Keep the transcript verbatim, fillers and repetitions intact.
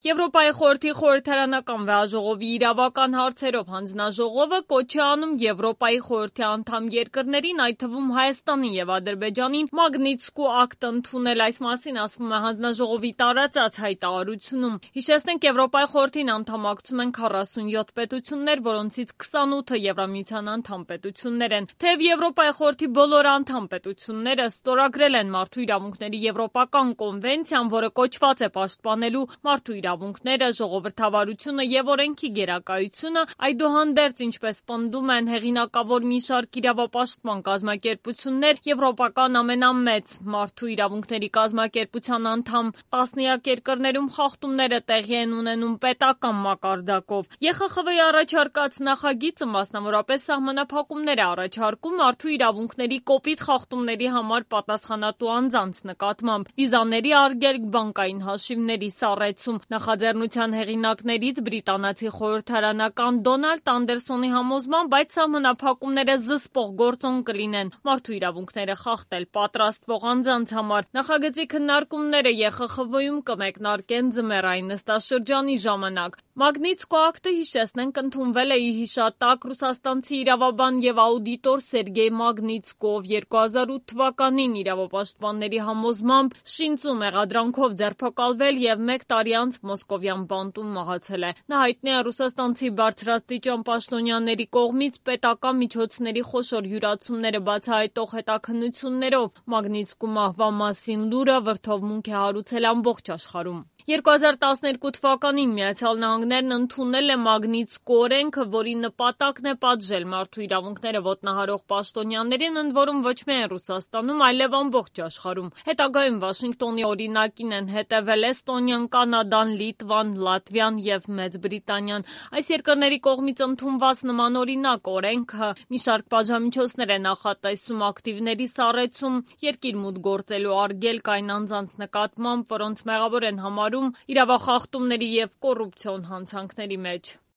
Եվրոպայի խորհրդի խորհրդարանական վեհաժողովի իրավական հարցերով հանձնաժողովը կոչ է անում Եվրոպայի խորհրդի անդամ երկրներին, այդ թվում Հայաստանին եւ Ադրբեջանին, Մագնիտսկու ակտ ընդունել, այս մասին ասվում է հանձնաժողովի տարածած հայտարարությունում։ Հիշեցնենք, Եվրոպայի խորհրդին անդամակցում են քառասունյոթ պետություններ, որոնցից քսանութը Եվրամիության անդամ պետություններ են։ Թեև Եվրոպայի խորհրդի բոլոր անդամ պետությունները ստորագրել են Մարդու իրավունքների եվրոպական կոնվենցիան, որը կոչված է պաշտպանելու մարդու իրավունքները, ժողովրդավարությունը եւ օրենքի գերակայությունը, այդուհանդերձ, ինչպես պնդում են հեղինակավոր մի շարք իրավապաշտպան կազմակերպություններ, եվրոպական ամենամեծ մարդու իրավունքների կազմակերպության անդամ տասնյակ երկրներում խախտումները տեղի են ունենում պետական մակարդակով։ Է Խ Խ V-ի առաջարկած նախագիծը մասնավորապես սահմանափակումներ է առաջարկում մարդու իրավունքների կոպիտ խախտումների համար պատասխանատու անձանց նկատմամբ, վիզաների արգելք, բանկային հաշիվների սառեցում։ Նախաձեռնության հեղինակներից բրիտանացի խորհրդարանական Դոնալդ Անդերսոնի համոզմամբ այդ սահմանափակումները զսպող գործոն կլինեն մարդու իրավունքները խախտել պատրաստվող անձանց համար։ Նախագծի քննարկումները Է Խ Խ V-ում կմեկնարկեն ձմեռային նստաշրջանի ժամանակ։ Մագնիտսկու ակտը, հիշեցնենք, ընդունվել է ի հիշատակ ռուսաստանցի իրավաբան եւ աուդիտոր Սերգեյ Մագնիտսկու, երկու հազար ութ թվականին իրավապաշտպանների համոզմամբ շինծու մեղադրանքով ձերբակալվել եւ մեկ տարի անց մոսկովյան բանտում մահացել է։ Նա հայտնի է ռուսաստանցի բարձրաստիճան պաշտոնյաների կողմից պետական միջոցների խոշոր յուրացումները բացահայտող հետաքննություններով։ Մագնիտսկու մահվան մասին լուրը վրդովմունք է հարուցել ամբողջ աշխարհում։ երկու հազար տասներկու թվականին Միացյալ Նահանգներն ընդունել է Մագնիտսկու օրենքը, որի նպատակն է պատժել մարդու իրավունքները ոտնահարող պաշտոնյաներին, ընդ որում ոչ միայն Ռուսաստանում, այլև ամբողջ աշխարհում։ Հետագայում Վաշինգտոնի օրինակին են հետևել Էստոնիան, Կանադան, Լիտվան, Լատվիան եւ Մեծ Բրիտանիան։ Այս երկրների կողմից ընդունված նմանօրինակ օրենքը մի շարք պատժամիջոցներ է նախատեսում ակտիվների սառեցում, երկիր մուտք գործելու արգելք այն անձանց նկատմամբ, որոնց մեղավոր են համարում իրավախախտումների եւ կոռուպցիոն հանցանքների մեջ։